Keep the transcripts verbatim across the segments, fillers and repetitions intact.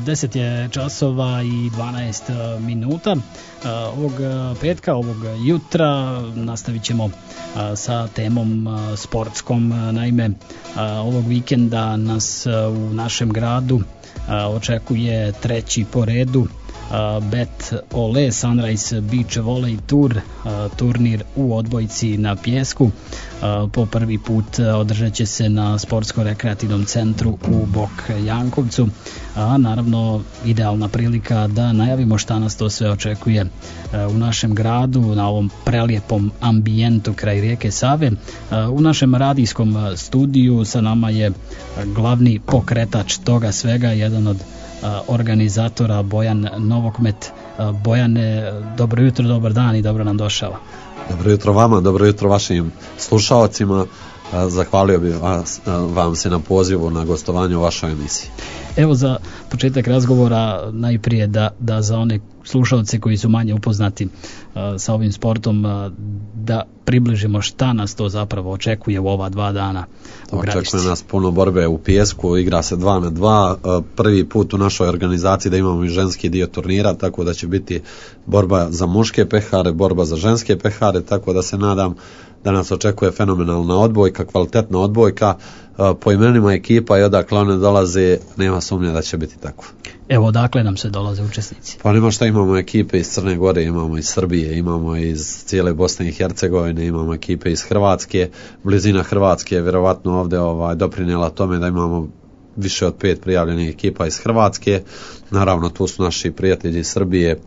deset je časova i dvanaest minuta. Ovog petka, ovog jutra nastavit ćemo sa temom sportskom. Naime, ovog vikenda nas u našem gradu očekuje treći po redu Bet Ole Sunrise Beach Volley Tour, turnir u odbojci na pijesku. Po prvi put održat će se na sportsko-rekreativnom centru u Bok Jankovcu, a naravno idealna prilika da najavimo šta nas to sve očekuje u našem gradu, na ovom prelijepom ambijentu kraj rijeke Save. U našem radijskom studiju sa nama je glavni pokretač toga svega, jedan od organizatora Bojan Novokmet. Bojane, dobro jutro, dobar dan i dobro nam došao. Dobro jutro vama, dobro jutro vašim slušalcima. Zahvalio bih vas, vam se na pozivu na gostovanju u vašoj emisiji. Evo za početak razgovora najprije da, da za one slušalce koji su manje upoznati uh, sa ovim sportom, uh, da približimo šta nas to zapravo očekuje u ova dva dana u Gradišci. Očekuje nas puno borbe u pijesku, igra se dva na dva, uh, prvi put u našoj organizaciji da imamo i ženski dio turnira, tako da će biti borba za muške pehare, borba za ženske pehare, tako da se nadam da nas očekuje fenomenalna odbojka, kvalitetna odbojka. Po imenima ekipa i odakle one dolaze, nema sumnje da će biti tako. Evo, odakle nam se dolaze učesnici? Pa nema šta, imamo ekipe iz Crne Gore, imamo iz Srbije, imamo iz cijele Bosne i Hercegovine, imamo ekipe iz Hrvatske. Blizina Hrvatske je vjerovatno ovdje ovaj, doprinijela tome da imamo više od pet prijavljenih ekipa iz Hrvatske. Naravno, tu su naši prijatelji iz Srbije,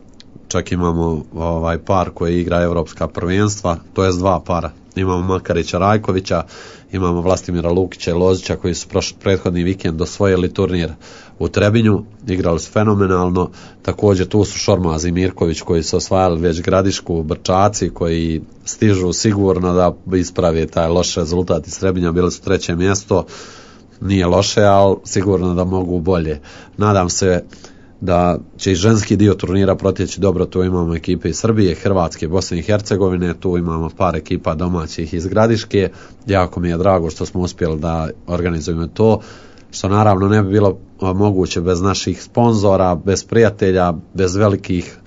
čak imamo ovaj par koji igra evropska prvenstva, to jest dva para. Imamo Makarića Rajkovića, imamo Vlastimira Lukića i Lozića koji su prošli prethodni vikend osvojili turnir u Trebinju, igrali su fenomenalno. Također tu su Šormaz i Mirković koji su osvajali već Gradišku, Brčaci koji stižu sigurno da isprave taj loš rezultat iz Trebinja, bili su treće mjesto, nije loše, ali sigurno da mogu bolje. Nadam se da će i ženski dio turnira protjeći dobro. Tu imamo ekipe iz Srbije, Hrvatske, Bosne i Hercegovine, tu imamo par ekipa domaćih iz Gradiške. Jako mi je drago što smo uspjeli da organizujemo to, što naravno ne bi bilo moguće bez naših sponzora, bez prijatelja, bez velikih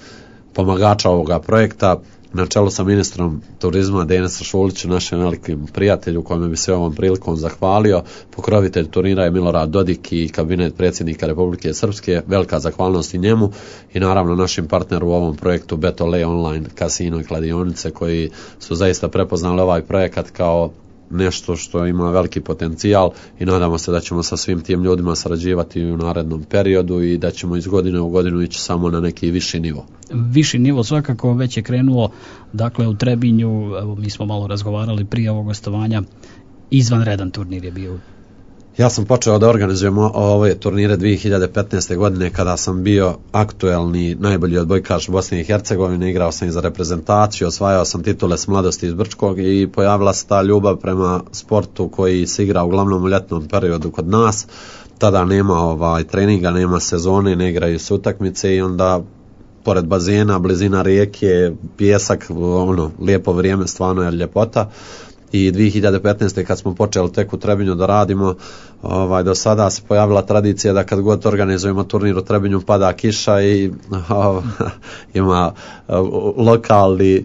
pomagača ovoga projekta. Na čelu sa ministrom turizma Denisa Šulića, našem velikim prijatelju kojome bi se ovom prilikom zahvalio. Pokrovitelj turnira je Milorad Dodik i kabinet predsjednika Republike Srpske, velika zahvalnost i njemu i naravno našim partneru u ovom projektu Bet Ole online kasino i kladionice koji su zaista prepoznali ovaj projekat kao nešto što ima veliki potencijal i nadamo se da ćemo sa svim tim ljudima sarađivati u narednom periodu i da ćemo iz godine u godinu ići samo na neki viši nivo. Viši nivo svakako već je krenulo, dakle u Trebinju, evo mi smo malo razgovarali prije ovog gostovanja, izvanredan turnir je bio. Ja sam počeo da organizujem ove turnire dvije hiljade petnaeste. godine kada sam bio aktuelni najbolji odbojkaš Bosne i Hercegovine, igrao sam i za reprezentaciju, osvajao sam titule s mladosti iz Brčkog i pojavila se ta ljubav prema sportu koji se igra uglavnom u ljetnom periodu kod nas. Tada nema ovaj treninga, nema sezone, ne igraju se utakmice i onda pored bazena, blizina rijeke, pijesak, ono, lijepo vrijeme, stvarno je ljepota. I dvije hiljade petnaeste. kad smo počeli tek u Trebinju da radimo, ovaj, do sada se pojavila tradicija da kad god organizujemo turnir u Trebinju pada kiša i ovaj, ima lokalni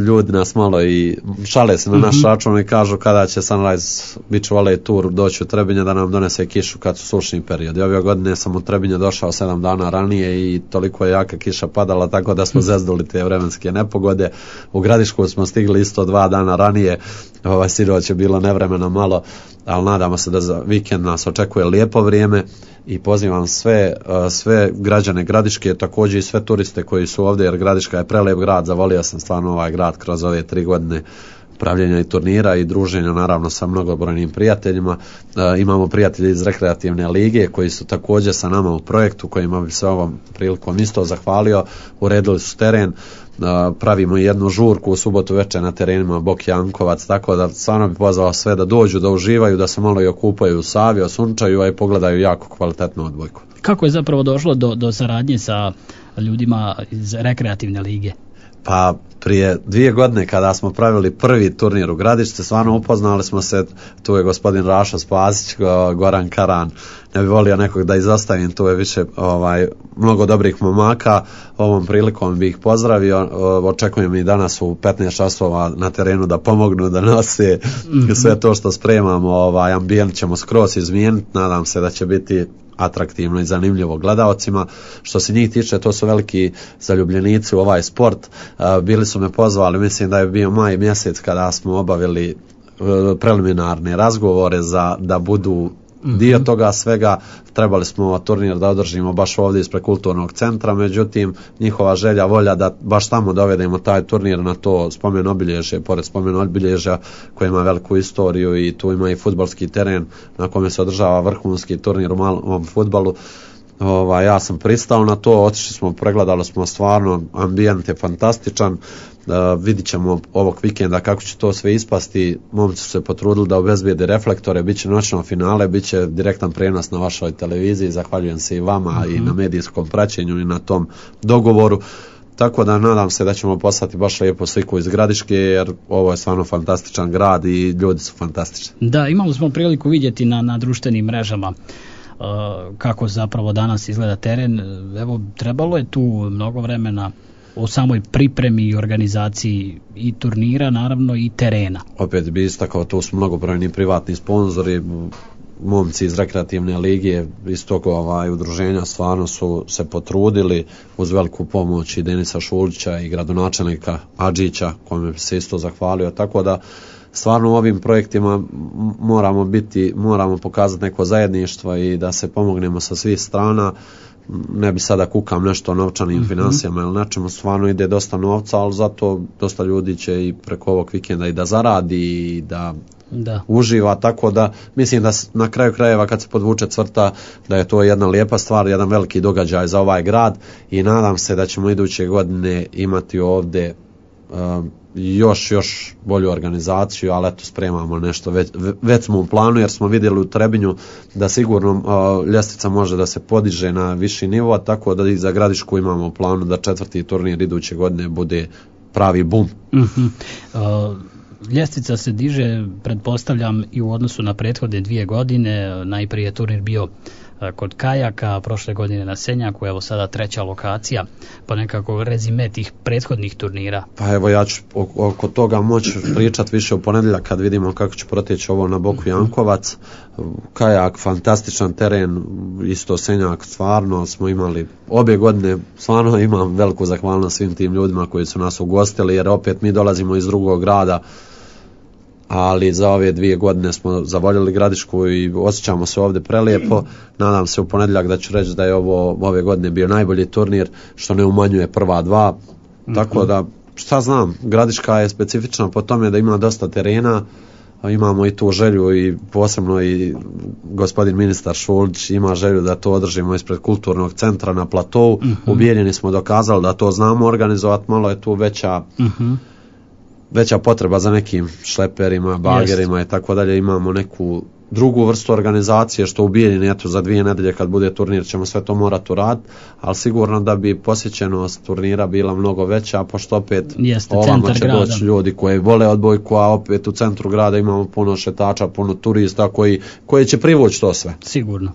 ljudi nas malo i šale se na naš račun i kažu kada će Sunrise Beach Volley Tour doći u Trebinje da nam donese kišu kad su sušni periodi. Ove godine sam u Trebinje došao sedam dana ranije i toliko je jaka kiša padala tako da smo zezduli te vremenske nepogode. U Gradišku smo stigli isto dva dana ranije, ovaj sinoć je bilo nevremena malo, ali nadamo se da za vikend nas očekuje lijepo vrijeme i pozivam sve, sve građane Gradiške, također i sve turiste koji su ovdje, jer Gradiška je prelijep grad, zavolio sam stvarno ovaj grad kroz ove tri godine pravljenja i turnira i druženja naravno sa mnogobrojnim prijateljima. E, imamo prijatelji iz rekreativne lige koji su također sa nama u projektu, kojima bi se ovom prilikom isto zahvalio. Uredili su teren, e, pravimo jednu žurku u subotu večer na terenima Bok Jankovac, tako da stvarno bi pozvao sve da dođu, da uživaju, da se malo i okupaju u Savi, osunčaju, a i pogledaju jako kvalitetnu odbojku. Kako je zapravo došlo do, do saradnje sa ljudima iz rekreativne lige? Pa prije dvije godine kada smo pravili prvi turnir u Gradišci, stvarno upoznali smo se, tu je gospodin Rašo Spasić, Goran Karan, ne bi volio nekog da izostavim, tu je više ovaj, mnogo dobrih momaka, ovom prilikom bih ih pozdravio, očekujem i danas u petnaest časova na terenu da pomognu, da nose mm-hmm. sve to što spremamo, ovaj, ambijent ćemo skroz izmijeniti, nadam se da će biti atraktivno i zanimljivo gledaocima. Što se njih tiče, to su veliki zaljubljenici u ovaj sport. Bili su me pozvali, mislim da je bio maj mjesec kada smo obavili preliminarne razgovore za da budu dio toga svega. Trebali smo turnir da održimo baš ovdje ispred kulturnog centra, međutim njihova želja, volja da baš tamo dovedemo taj turnir na to spomen obilježje, pored spomen obilježja koji ima veliku istoriju i tu ima i fudbalski teren na kome se održava vrhunski turnir u malom fudbalu. Ovaj, ja sam pristao na to, otišli smo, pregledali smo, stvarno ambijent je fantastičan. Uh, vidit ćemo ovog vikenda kako će to sve ispasti. Momci su se potrudili da obezbijede reflektore, bit će noćno finale, bit će direktan prenos na vašoj televiziji, zahvaljujem se i vama mm-hmm. i na medijskom praćenju i na tom dogovoru. Tako da nadam se da ćemo poslati baš lijepu sliku iz Gradiške, jer ovo je stvarno fantastičan grad i ljudi su fantastični. Da, imali smo priliku vidjeti na, na društvenim mrežama kako zapravo danas izgleda teren. Evo, trebalo je tu mnogo vremena u samoj pripremi i organizaciji i turnira, naravno i terena. Opet bi istakao, tu su mnogobrojni privatni sponzori, momci iz rekreativne lige, iz tog ovaj, udruženja stvarno su se potrudili uz veliku pomoć i Denisa Šulića i gradonačelnika Adžića, kome se isto zahvalio, tako da stvarno u ovim projektima moramo biti, moramo pokazati neko zajedništvo i da se pomognemo sa svih strana. Ne bi sada kukam nešto o novčanim mm-hmm. financijama ili nečemu, stvarno ide dosta novca, ali zato dosta ljudi će i preko ovog vikenda i da zaradi i da, da uživa, tako da mislim da na kraju krajeva kad se podvuče crta da je to jedna lijepa stvar, jedan veliki događaj za ovaj grad i nadam se da ćemo iduće godine imati ovdje um, još, još bolju organizaciju, ali eto spremamo nešto, već, već smo u planu jer smo vidjeli u Trebinju da sigurno uh, ljestvica može da se podiže na viši nivo, tako da i za Gradišku imamo u planu da četvrti turnir iduće godine bude pravi bum. Mm-hmm. Uh, ljestvica se diže, pretpostavljam, i u odnosu na prethodne dvije godine. Najprije turnir bio kod Kajaka, prošle godine na Senjaku, evo sada treća lokacija, pa nekako rezime tih prethodnih turnira. Pa evo ja ću oko toga moći pričati više u ponedjeljak kad vidimo kako će proteći ovo na Boku Jankovac. Kajak, fantastičan teren, isto Senjak, stvarno smo imali obje godine, stvarno imam veliku zahvalnost svim tim ljudima koji su nas ugostili, jer opet mi dolazimo iz drugog grada, ali za ove dvije godine smo zavoljeli Gradišku i osjećamo se ovdje prelijepo. Nadam se u ponedjeljak da ću reći da je ovo ove godine bio najbolji turnir, što ne umanjuje prva dva. Mm-hmm. Tako da, šta znam, Gradiška je specifična po tome da ima dosta terena, imamo i tu želju i posebno i gospodin ministar Šulić ima želju da to održimo ispred kulturnog centra na platovu. Mm-hmm. Ubijeljeni smo dokazali da to znamo organizovati, malo je tu veća mm-hmm. veća potreba za nekim šleperima, bagerima Jest. i tako dalje. Imamo neku drugu vrstu organizacije što u Bijeljini, eto za dvije nedelje kad bude turnir ćemo sve to morati uraditi, ali sigurno da bi posjećenost turnira bila mnogo veća, pošto opet Jeste, ovamo će doći ljudi koji vole odbojku, a opet u centru grada imamo puno šetača, puno turista koji, koji će privući to sve. Sigurno.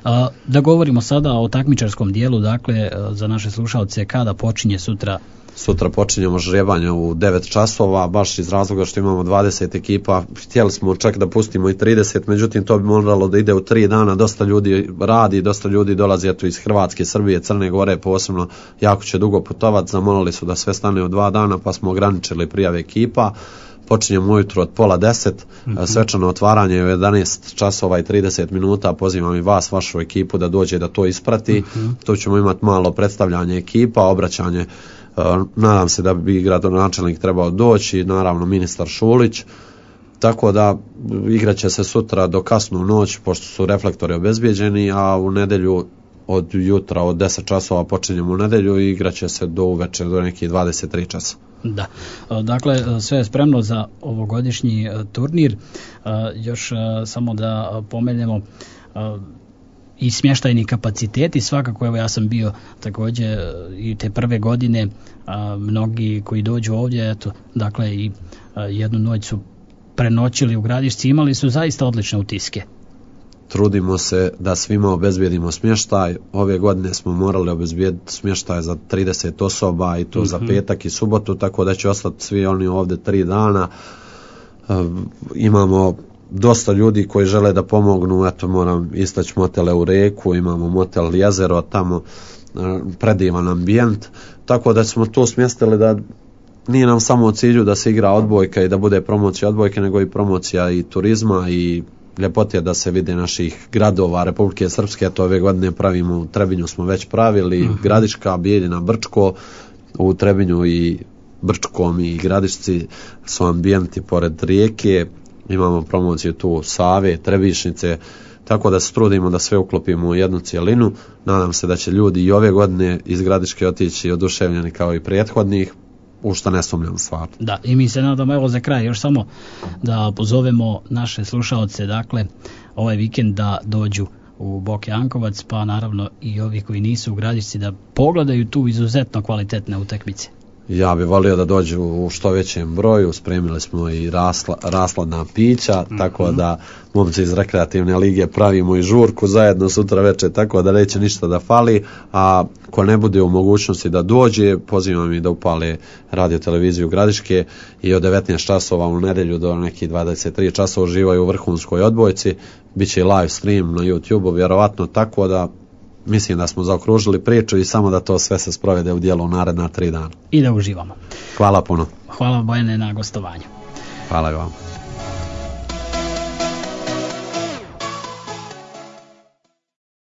A, da govorimo sada o takmičarskom dijelu, dakle za naše slušalce, kada počinje sutra? Sutra počinjemo žrebanje u devet časova, baš iz razloga što imamo dvadeset ekipa. Htjeli smo čak da pustimo i trideset, međutim to bi moralo da ide u tri dana. Dosta ljudi radi, dosta ljudi dolazi eto iz Hrvatske, Srbije, Crne Gore posebno, jako će dugo putovati. Zamolili su da sve stane u dva dana, pa smo ograničili prijave ekipa. Počinjemo ujutro od pola deset, mm-hmm. svečano otvaranje je u jedanaest časova i trideset minuta, pozivam i vas, vašu ekipu da dođe da to isprati. Mm-hmm. Tu ćemo imati malo predstavljanje ekipa, obraćanje. Uh, nadam se da bi gradonačelnik trebao doći, naravno ministar Šulić, tako da igraće se sutra do kasnu noć pošto su reflektori obezbijeđeni, a u nedjelju od jutra od deset časova počinjemo u nedjelju i igraće se do uveče do nekih dvadeset tri časa. Da, dakle sve je spremno za ovogodišnji turnir. Još samo da pomenemo, i smještajni kapaciteti. Svakako, evo ja sam bio također i te prve godine, a, mnogi koji dođu ovdje, eto, dakle i a, jednu noć su prenoćili u Gradišci, imali su zaista odlične utiske. Trudimo se da svima obezbijedimo smještaj. Ove godine smo morali obezbijediti smještaj za trideset osoba i to mm-hmm. za petak i subotu, tako da će ostati svi oni ovdje tri dana. E, imamo dosta ljudi koji žele da pomognu, eto moram istaći motele u Reku, imamo motel Jezero, tamo e, predivan ambijent, tako da smo to smjestili da nije nam samo u cilju da se igra odbojka i da bude promocija odbojke, nego i promocija i turizma i ljepote da se vide naših gradova Republike Srpske. To ove godine pravimo, u Trebinju smo već pravili, uh-huh. Gradiška, Bijeljina, Brčko, u Trebinju i Brčkom i Gradišci su ambijenti pored rijeke, imamo promociju tu Save, Trebišnice, tako da se trudimo da sve uklopimo u jednu cijelinu. Nadam se da će ljudi i ove godine iz Gradiške otići oduševljeni kao i prethodnih, u što ne sumnjam stvarno. Da, i mi se nadamo, evo za kraj još samo da pozovemo naše slušaoce, dakle ovaj vikend da dođu u Boke Jankovac, pa naravno i ovi koji nisu u Gradišci da pogledaju tu izuzetno kvalitetne utakmice. Ja bih volio da dođu u što većem broju, spremili smo i rasla, rasladna pića, mm-hmm. tako da momci iz rekreativne lige pravimo i žurku zajedno sutra večer, tako da neće ništa da fali, a ko ne bude u mogućnosti da dođe, pozivam i da upale radio televiziju Gradiške i od devetnaest časova u nedjelju do nekih dvadeset tri časova uživaju u vrhunskoj odbojci, bit će i live stream na YouTube-u, vjerovatno, tako da mislim da smo zaokružili priču i samo da to sve se sprovede u dijelu u naredna tri dana. I da uživamo. Hvala puno. Hvala Bojane na gostovanju. Hvala vam.